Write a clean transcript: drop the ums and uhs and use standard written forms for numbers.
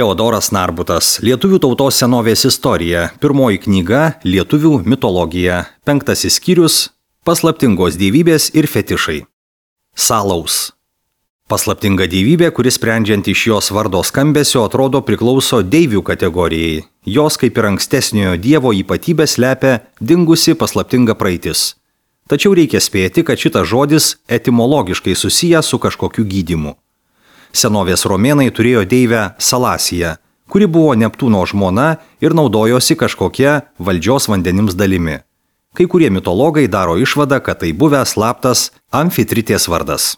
Teodoras Narbutas. Lietuvių tautos senovės istorija. Pirmoji knyga – Lietuvių mitologija. 5 skyrius – Paslaptingos dievybės ir fetišai. Salaus. Paslaptinga dievybė, kuris sprendžiant iš jos vardo skambesio atrodo priklauso deivių kategorijai. Jos, kaip ir ankstesniojo dievo ypatybė, slepia dingusi paslaptinga praeitis. Tačiau reikia spėti, kad šitas žodis etimologiškai susijęs su kažkokiu gydymu. Senovės romėnai turėjo deivę Salasiją, kuri buvo Neptūno žmona ir naudojosi kažkokia valdžios vandenims dalimi. Kai kurie mitologai daro išvadą, kad tai buvęs slaptas Amfitritės vardas.